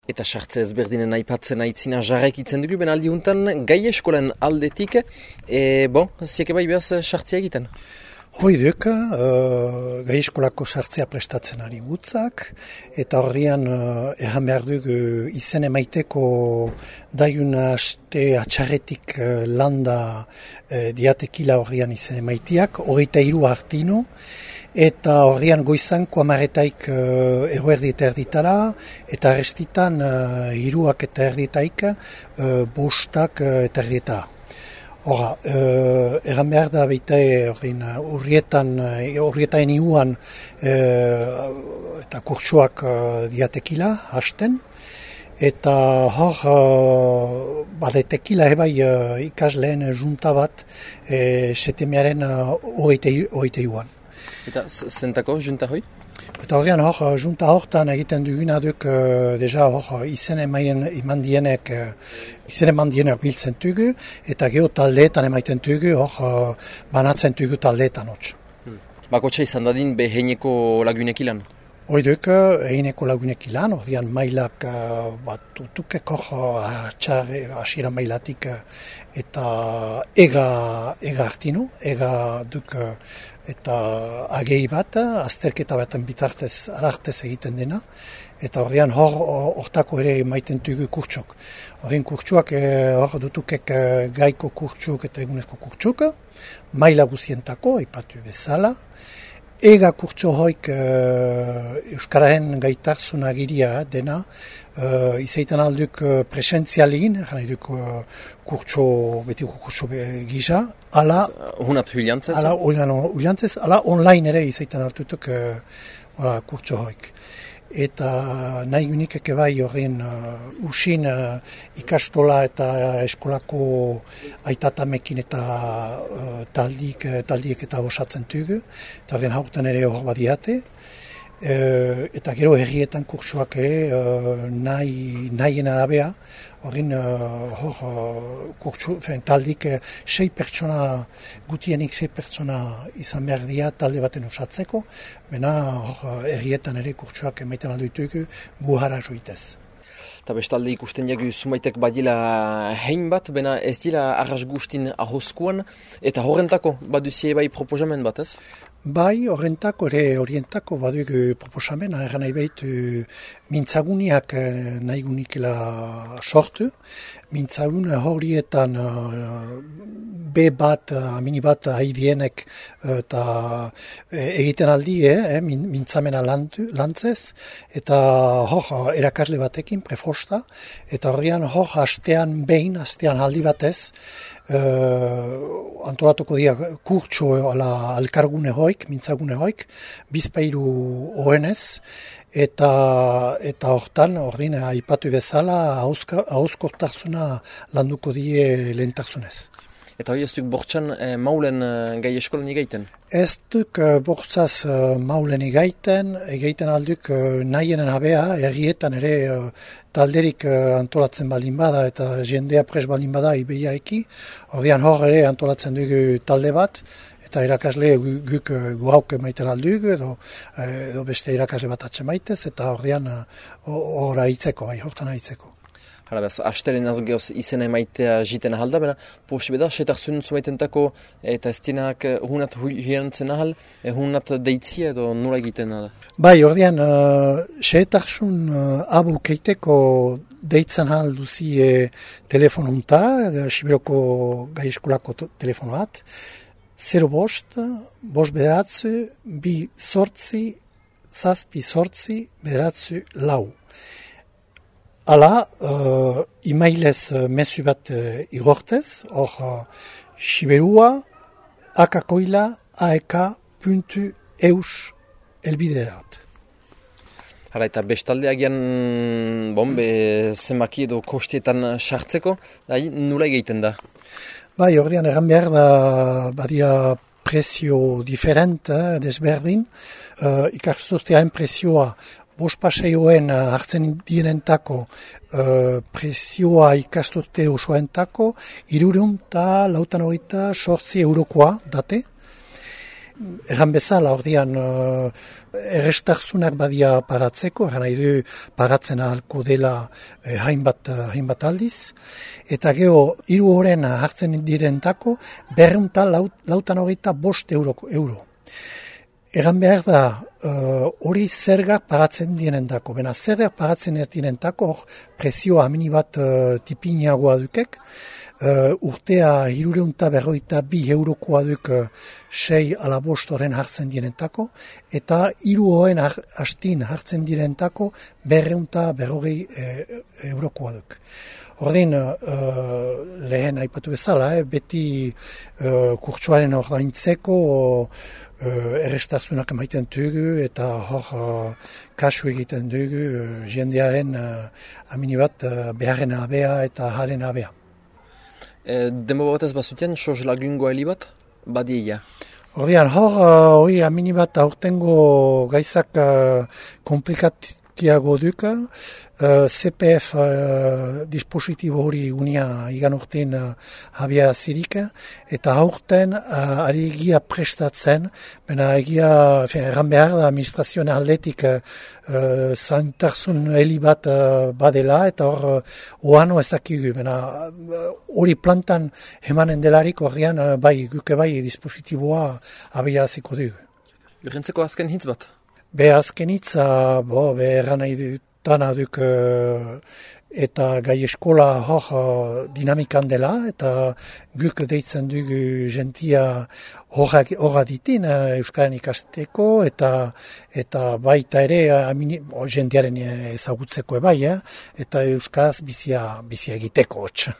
Eta sartze ezberdinen aipatzen aitzina jarraikitzen dugu, ben aldi huntan gai eskolen aldetik, zieke bai behaz sartzea egiten? Hoi duk, gai eskolako sartzea prestatzen ari gutzak, eta horrian erran behar dugu izen emaiteko daiun aste atxarretik landa diatekila horrian izen emaitiak, 23 hartino, eta horrian goizanko amaretaik eguerdi eta erditara, eta arrestitan hiruak eta erditaik bostak eta erdita. Hora, egan behar da baita urrietan iuan eta kurtsuak diatekila hasten, eta hor badetekila ebai ikasleen junta bat setemearen hogeite iuan. Eta zentako junta hoi? Eta horrean hor, junta hortan egiten duguna duk deja hor izen eman dienek biltzen dugu, eta geho taldeetan emaiten dugu, hor banatzen dugu taldeetan hotz. Bakotxa izan dadin beheineko lagunek ilan? Hoiduk, eineko lagunek ilan, horrean mailak bat utukek hor asira mailatik eta ega hartinu, ega duk eta agei bat, azterketa baten bitartez arartez egiten dena, eta horrean hortako ere maiten dugu kurtsok. Horrean kurtsuak hor dutukek gaiko kurtsuk eta egunezko kurtsuk, maila guzientako, ipatu bezala, ega kurtso hoik Euskararen gaitarzun agiria dena, izaiten alduk presentzialegin, jana duk betiko kurtso gisa, ala Hunat huliantzez? Ala huliantzez, ala online ere izaiten altutuk kurtso hoik. Eta nahi unikek ebai horren usin ikastola eta eskolako aitatamekin eta taldiek eta osatzen dugu, eta horren haurtan ere hor badiate. Eta gero herrietan kurtsuak ere nahien arabea, horren taldik 6 pertsona, gutienik 6 pertsona izan behar dira talde baten osatzeko, bena herrietan ere kurtsuak emaiten alduitugu buhara joitez. Eta bestalde ikusten jagu zumaitek badila hein bat, bena ez dira arras guztin ahoskuan, eta horrentako baduzie bai proposamen bat ez? Bai, horrentako ere orientako badugu proposamena, erran nahi behitu mintzaguniak nahi gunikela sortu. Mintzagun horietan B bat, mini bat haidienek eta egiten aldi, mintzamena lantzez, eta hor erakasle batekin, prefosta, eta horrean hor hastean aldi batez, antolatuko dira kurtso alkargune hoik, mintzagune hoik, bizpairu oenez, eta hortan, ordin, aipatu bezala, hauzkortarzuna landuko die lehentarzunez. Eta hori ez duk bortxan maulen gai eskolan egaiten? Ez duk bortzaz maulen egaiten alduk nahienen abea, errietan ere talderik antolatzen baldin bada eta jendea pres baldin bada ibeiareki, horrean hor ere antolatzen dugu talde bat, eta irakasle guk guauk maiten aldugu, edo beste irakasle bat atxemaitez, eta horrean hortan aitzeko. Harabaz, astelen azgeoz izena emaitea jiten ahal da, bena posibeda, setarzun zumaitentako eta ez dienak hunat hirantzen ahal, hunat deitzia edo nola egiten da? Bai, ordean, setarzun abu keiteko deitzen ahal duzi telefonu untara, Sibiroko gai eskolako telefonu bat, 0 bost, bost bederatzu, 2 sortzi, 7 sortzi, bederatzu lau. Hala, emailez mezu bat igortez, hor Siberua, akakoila, aek.eus elbiderat. Hala, eta bestalde agian zenbaki edo kostietan sartzeko, nula egiten da? Bai, horrean erran behar da badia prezio diferent, desberdin, ikasturtearen prezioa, bost paseioen hartzen dienentako prezioa ikasturte osoentako 348 eurokoa date. Erran bezala, ordean, errestarzunak badia paratzeko, erran nahi du paratzen ahalko dela hainbat aldiz, eta geho, 3 horren hartzen direntako, 285 euro. Egan behar da, hori zergak pagatzen direntako. Bena, zergak pagatzen ez direntako, prezio amini bat tipinagoa dukek, urtea 352 eurokoa duk 6 ala 5 horren hartzen direntako, eta 3 horren hastin hartzen direntako 250 eurokoa duk. Ordin, lehen aipatu bezala, beti kurtsuaren ordaintzeko errestazunak emaiten dugu eta hor kasu egiten dugu jendearen amini bat beharren abea eta haren abea. Demo batez bazuten, soz lagungo heli bat, badieia. Ordean, hori amini bat aurtengo gaizak komplikatiago duka, CPF dispositibo hori unia igan urtein habia zirika, eta aurten ari egia prestatzen, bena egia erran behar da administrazioen aldetik zaintarzun heli bat badela, eta hor oano ezakigu, bena hori plantan emanen delarik horrean guke bai dispositiboa habia ziko dugu. Urrentzeko azken hitz bat? Azken hitza, erran nahi dut, dana duk eta gai eskola hor dinamikan dela, eta guk deitzen dugu jentia horra ditin Euskaren ikasteko, eta baita ere jentiaren ezagutzeko bai, eta Euskaraz bizia egiteko hotx.